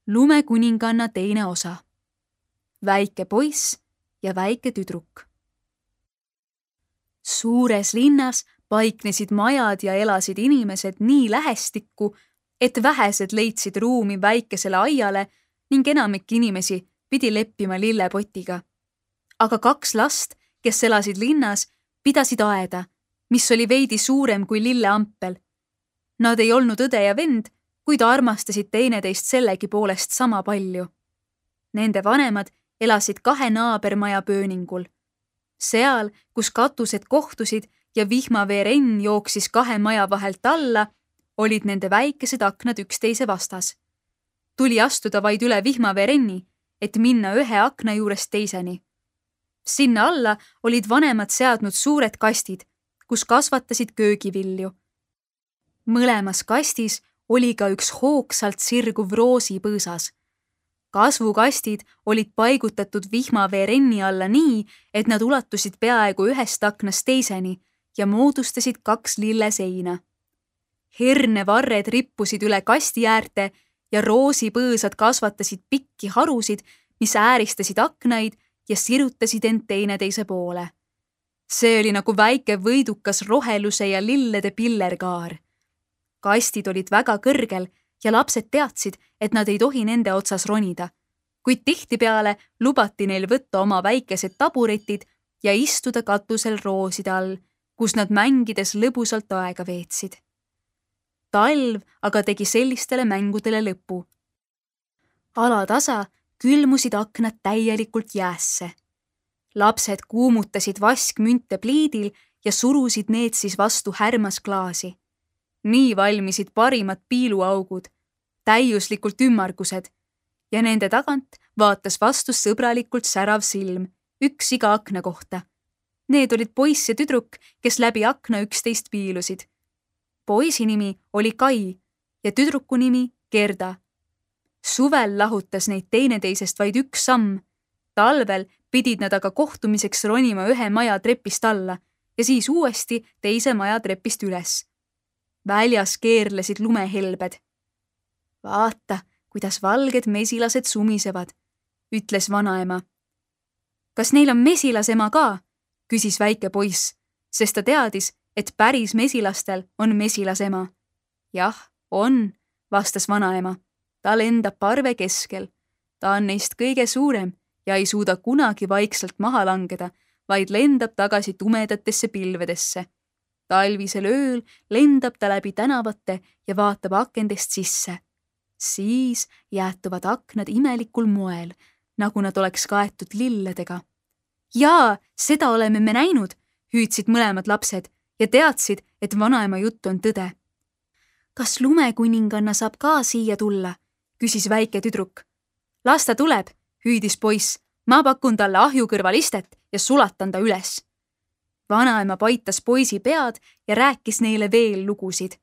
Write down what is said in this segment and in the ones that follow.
Lumekuninganna teine osa. Väike poiss ja väike tüdruk. Suures linnas paiknesid majad ja elasid inimesed nii lähestikku, et vähesed leidsid ruumi väikesele aiale ning enamik inimesi pidi leppima lillepotiga. Aga 2 last, kes elasid linnas, pidasid aeda, mis oli veidi suurem kui lilleampel. Nad ei olnud õde ja vend, kuid armastasid teineteist sellegi poolest sama palju. Nende vanemad elasid 2 naabermaja pööningul. Seal, kus katused kohtusid ja vihmaveerenn jooksis 2 maja vahelt alla, olid nende väikesed aknad üksteise vastas. Tuli astuda vaid üle vihmaveerenni, et minna ühe akna juurest teiseni. Sinna alla olid vanemad seadnud suured kastid, kus kasvatasid köögivilju. Mõlemas kastis oli ka üks hoogsalt sirguv roosipõõsas. Kasvukastid olid paigutatud vihmaveerenni alla nii, et nad ulatusid peaaegu ühest aknast teiseni ja moodustasid 2 lilleseina. Hernevarred rippusid üle kasti äärte ja roosipõõsad kasvatasid pikki harusid, mis ääristasid aknaid ja sirutasid end teineteise poole. See oli nagu väike võidukas roheluse ja lillede pillerkaar. Kastid olid väga kõrgel ja lapsed teadsid, et nad ei tohi nende otsas ronida, kuid tihtipeale lubati neil võtta oma väikesed taburetid ja istuda katusel rooside all, kus nad mängides lõbusalt aega veetsid. Talv aga tegi sellistele mängudele lõpu. Alatasa külmusid aknad täielikult jäässe. Lapsed kuumutasid vaskmünte pliidil ja surusid need siis vastu härmasklaasi. Nii valmisid parimad piiluaugud, täiuslikult ümmargused ja nende tagant vaatas vastu sõbralikult särav silm, 1 iga akna kohta. Need olid poiss ja tüdruk, kes läbi akna üksteist piilusid. Poisi nimi oli Kai ja tüdruku nimi Gerda. Suvel lahutas neid teineteisest vaid 1 samm. Talvel pidid nad aga kohtumiseks ronima ühe maja trepist alla ja siis uuesti teise maja trepist üles. Väljas keerlesid lumehelbed. Vaata, kuidas valged mesilased sumisevad, ütles vanaema. Kas neil on mesilasema ka? Küsis väike poiss, sest ta teadis, et päris mesilastel on mesilasema. Jah, on, vastas vanaema. Ta lendab parve keskel. Ta on neist kõige suurem ja ei suuda kunagi vaikselt maha langeda, vaid lendab tagasi tumedatesse pilvedesse. Talvisel ööl lendab ta läbi tänavate ja vaatab akendest sisse. Siis jäätuvad aknad imelikul moel, nagu nad oleks kaetud lilledega. Jaa, seda oleme me näinud, hüüdsid mõlemad lapsed ja teadsid, et vanaema jutt on tõde. Kas lumekuninganna saab ka siia tulla? Küsis väike tüdruk. Las ta tuleb, hüüdis poiss. Ma pakun talle ahju kõrval istet ja sulatan ta üles. Vanaema paitas poisi pead ja rääkis neile veel lugusid.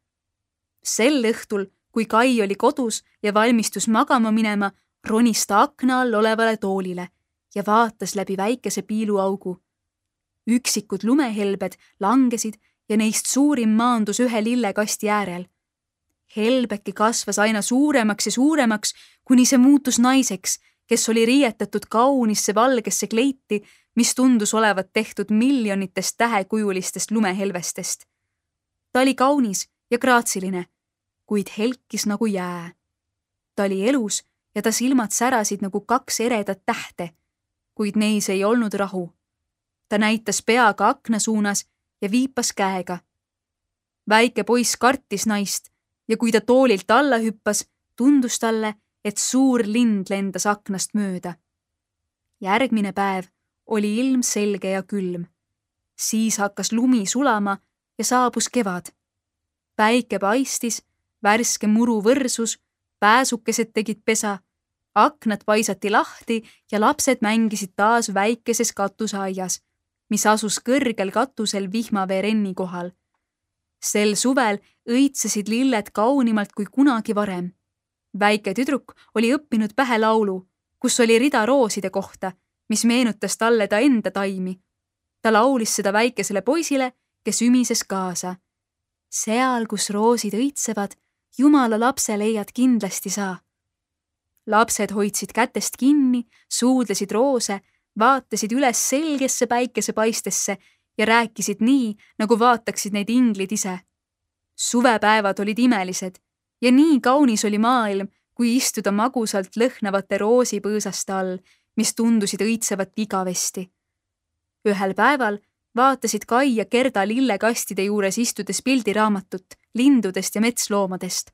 Sel õhtul, kui Kai oli kodus ja valmistus magama minema, ronis ta akna all olevale toolile ja vaatas läbi väikese piiluaugu. Üksikud lumehelbed langesid ja neist suurim maandus ühe lillekasti äärel. Helbeki kasvas aina suuremaks ja suuremaks, kuni see muutus naiseks, kes oli riietatud kaunisse valgesse kleiti, mis tundus olevat tehtud miljonitest tähekujulistest lumehelvestest. Ta oli kaunis ja graatsiline, kuid helkis nagu jää. Ta oli elus ja ta silmad särasid nagu 2 eredat tähte, kuid neis ei olnud rahu. Ta näitas peaga akna suunas ja viipas käega. Väike poiss kartis naist ja kui ta toolilt alla hüppas, tundus talle, et suur lind lendas aknast mööda. Järgmine päev oli ilm selge ja külm. Siis hakkas lumi sulama ja saabus kevad. Päike paistis, värske muru võrsus, pääsukesed tegid pesa, aknad paisati lahti ja lapsed mängisid taas väikeses katuseaias, mis asus kõrgel katusel vihmaveerenni kohal. Sel suvel õitsesid lilled kaunimalt kui kunagi varem. Väike tüdruk oli õppinud pähe laulu, kus oli rida rooside kohta, mis meenutas talle ta enda taimi. Ta laulis seda väikesele poisile, kes ümises kaasa. Seal, kus roosid õitsevad, Jumala lapse leiad kindlasti sa. Lapsed hoidsid kätest kinni, suudlesid roose, vaatasid üles selgesse päikesepaistesse ja rääkisid nii, nagu vaataksid neid inglid ise. Suvepäevad olid imelised ja nii kaunis oli maailm, kui istuda magusalt lõhnavate roosipõõsaste all, mis tundusid õitsevat igavesti. Ühel päeval vaatasid Kai ja Gerda lillekastide juures istudes pildiraamatut lindudest ja metsloomadest.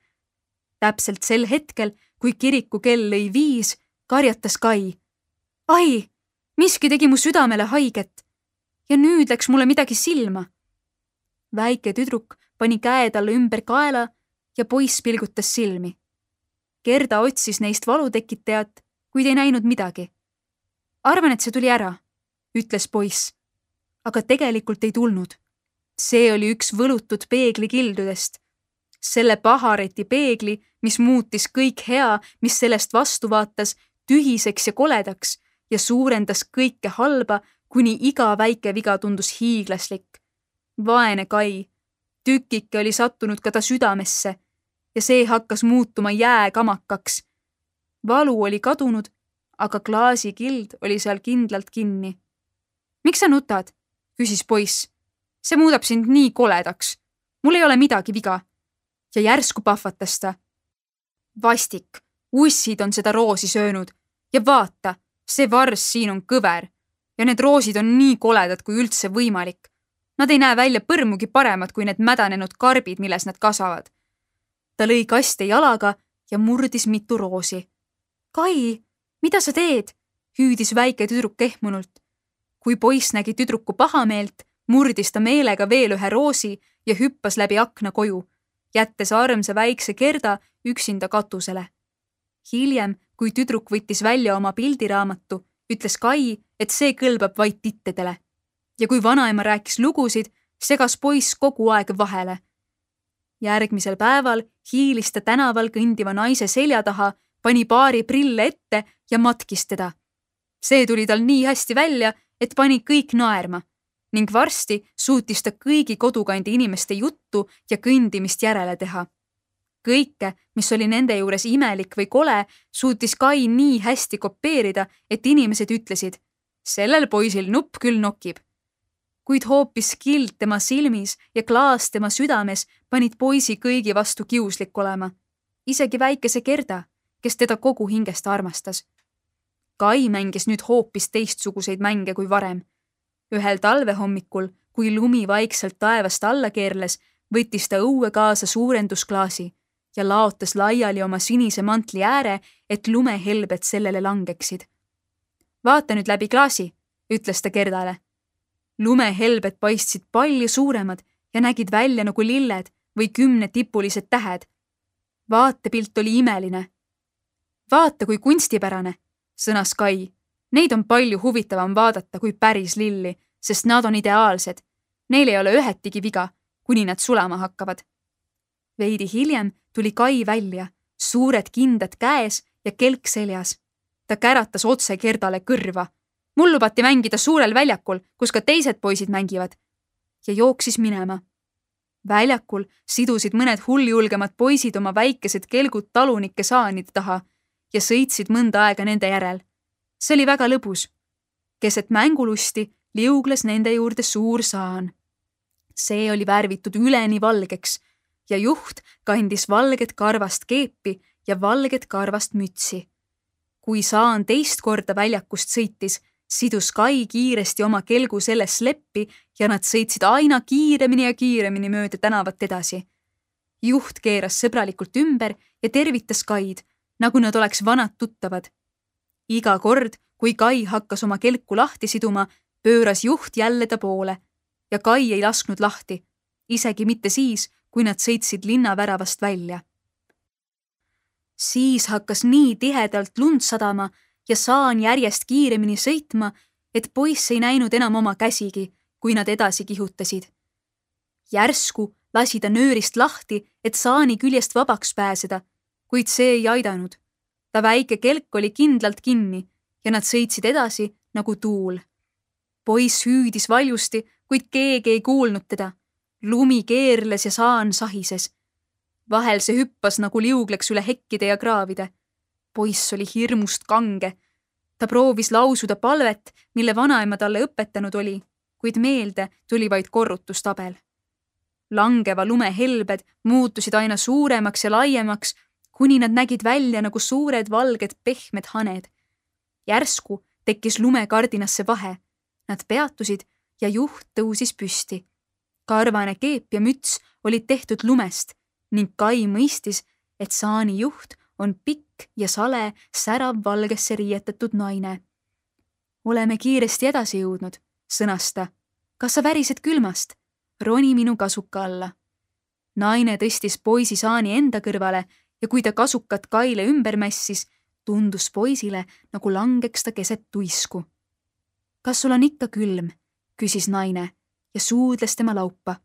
Täpselt sel hetkel, kui kirikukell lõi 5, karjatas Kai. Ai, miski tegi mu südamele haiget ja nüüd läks mulle midagi silma. Väike tüdruk pani käe talle ümber kaela ja poiss pilgutas silmi. Gerda otsis neist valutekitajat, kuid ei näinud midagi. Arvan, et see tuli ära, ütles poiss, aga tegelikult ei tulnud. See oli üks võlutud peegli kildudest. Selle pahareti peegli, mis muutis kõik hea, mis sellest vastu vaatas, tühiseks ja koledaks ja suurendas kõike halba, kuni iga väike viga tundus hiiglaslik. Vaene Kai, tükike oli sattunud ka ta südamesse ja see hakkas muutuma jääkamakaks. Valu oli kadunud, aga klaasikild oli seal kindlalt kinni. Miks sa nutad? Küsis poiss. See muudab sind nii koledaks. Mul ei ole midagi viga. Ja järsku pahvatas ta. Vastik, ussid on seda roosi söönud ja vaata, see vars siin on kõver ja need roosid on nii koledad kui üldse võimalik. Nad ei näe välja põrmugi paremad kui need mädanenud karbid, milles nad kasvavad. Ta lõi kaste jalaga ja murdis mitu roosi. Kai, mida sa teed? Hüüdis väike tüdruk ehmunult. Kui poiss nägi tüdruku pahameelt, murdis ta meelega veel ühe roosi ja hüppas läbi akna koju, jättes armsa väikse Gerda üksinda katusele. Hiljem, kui tüdruk võttis välja oma pildiraamatu, ütles Kai, et see kõlbab vaid tittedele. Ja kui vanaema rääkis lugusid, segas poiss kogu aeg vahele. Järgmisel päeval hiilis ta tänaval kõndiva naise selja taha, pani paari prille ette ja matkis teda. See tuli tal nii hästi välja, et pani kõik naerma ning varsti suutis ta kõigi kodukandi inimeste juttu ja kõndimist järele teha. Kõike, mis oli nende juures imelik või kole, suutis Kai nii hästi kopeerida, et inimesed ütlesid, sellel poisil nupp küll nokib. Kuid hoopis kild tema silmis ja klaas tema südames panid poisi kõigi vastu kiuslik olema. Isegi väikese Gerda, kes teda kogu hingest armastas. Kai mängis nüüd hoopis teistsuguseid mänge kui varem. Ühel talvehommikul, kui lumi vaikselt taevast alla keerles, võttis ta õue kaasa suurendusklaasi ja laotas laiali oma sinise mantli ääre, et lumehelbed sellele langeksid. Vaata nüüd läbi klaasi, ütles ta Gerdale. Lumehelbed paistsid palju suuremad ja nägid välja nagu lilled või 10-tipulised tähed. Vaatepilt oli imeline. Vaata, kui kunstipärane, sõnas Kai. Neid on palju huvitavam vaadata kui päris lilli, sest nad on ideaalsed. Neil ei ole ühetigi viga, kuni nad sulama hakkavad. Veidi hiljem tuli Kai välja, suured kindad käes ja kelk seljas. Ta käratas otse Gerdale kõrva. Mul lubati mängida suurel väljakul, kus ka teised poisid mängivad. Ja jooksis minema. Väljakul sidusid mõned hulljulgemad poisid oma väikesed kelgud talunike saanide taha ja sõitsid mõnda aega nende järel. See oli väga lõbus. Keset mängulusti liugles nende juurde suur saan. See oli värvitud üleni valgeks ja juht kandis valget karvast keepi ja valget karvast mütsi. Kui saan teist korda väljakust sõitis, sidus Kai kiiresti oma kelgu selles leppi ja nad sõitsid aina kiiremini ja kiiremini mööda tänavat edasi. Juht keeras sõbralikult ümber ja tervitas Kaid, nagu nad oleks vanad tuttavad. Iga kord, kui Kai hakkas oma kelku lahti siduma, pööras juht jälle ta poole ja Kai ei lasknud lahti, isegi mitte siis, kui nad sõitsid linnaväravast välja. Siis hakkas nii tihedalt lund sadama ja saan järjest kiiremini sõitma, et poiss ei näinud enam oma käsigi, kui nad edasi kihutasid. Järsku lasi ta nöörist lahti, et saani küljest vabaks pääseda, kuid see ei aidanud. Ta väike kelk oli kindlalt kinni ja nad sõitsid edasi nagu tuul. Poiss hüüdis valjusti, kuid keegi ei kuulnud teda. Lumi keerles ja saan sahises. Vahel see hüppas nagu liugleks üle hekkide ja kraavide. Poiss oli hirmust kange. Ta proovis lausuda palvet, mille vanaema talle õpetanud oli, kuid meelde tuli vaid korrutustabel. Langeva lume helbed muutusid aina suuremaks ja laiemaks, kuni nad nägid välja nagu suured valged pehmed haned. Järsku tekkis lumekardinasse vahe. Nad peatusid ja juht tõusis püsti. Karvane keep ja müts olid tehtud lumest ning Kai mõistis, et saani juht on pikk ja sale särav valgesse riietatud naine. Oleme kiiresti edasi jõudnud, sõnas ta. Kas sa värised külmast? Roni minu kasuka alla. Naine tõstis poisi saani enda kõrvale ja kui ta kasukat Kaile ümber mässis, tundus poisile, nagu langeks ta keset tuisku. Kas sul on ikka külm? Küsis naine ja suudles tema laupa.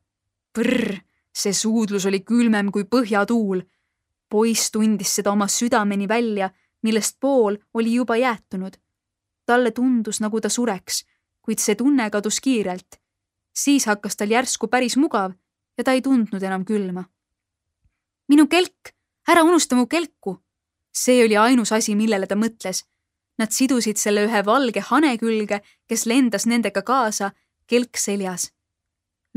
Prrr, see suudlus oli külmem kui põhjatuul. Poiss tundis seda oma südameni välja, millest pool oli juba jäätunud. Talle tundus, nagu ta sureks, kuid see tunne kadus kiirelt. Siis hakkas tal järsku päris mugav ja ta ei tundnud enam külma. Minu kelk! Ära unusta mu kelku! See oli ainus asi, millele ta mõtles. Nad sidusid selle ühe valge hane külge, kes lendas nendega kaasa, kelk seljas.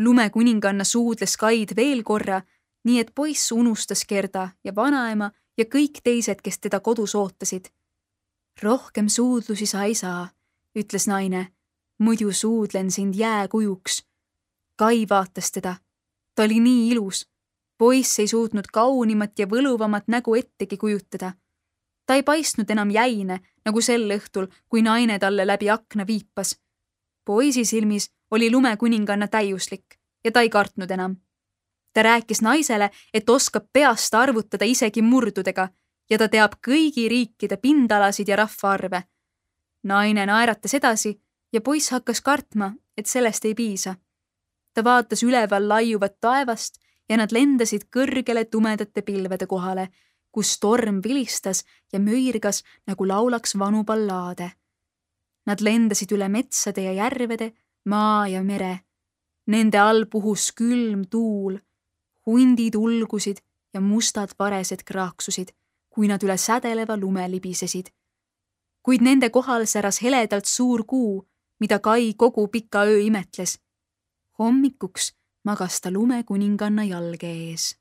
Lumekuninganna suudles Kaid veel korra, nii et poiss unustas Gerda ja vanaema ja kõik teised, kes teda kodus ootasid. Rohkem suudlusi sa ei saa, ütles naine. Muidu suudlen sind jääkujuks. Kai vaatas teda. Ta oli nii ilus. Poiss ei suutnud kaunimat ja võluvamat nägu ettegi kujutada. Ta ei paistnud enam jäine, nagu sel õhtul, kui naine talle läbi akna viipas. Poisi silmis oli lumekuninganna täiuslik ja ta ei kartnud enam. Ta rääkis naisele, et oskab peast arvutada isegi murdudega ja ta teab kõigi riikide pindalasid ja rahvaarve. Naine naeratas edasi ja poiss hakkas kartma, et sellest ei piisa. Ta vaatas üleval laiuvat taevast ja nad lendasid kõrgele tumedate pilvede kohale, kus torm vilistas ja möirgas, nagu laulaks vanu ballaade. Nad lendasid üle metsade ja järvede, maa ja mere. Nende all puhus külm tuul, hundid ulgusid ja mustad varesed kraaksusid, kui nad üle sädeleva lume libisesid. Kuid nende kohal säras heledalt suur kuu, mida Kai kogu pika öö imetles. Hommikuks magas ta lumekuninganna jalge ees.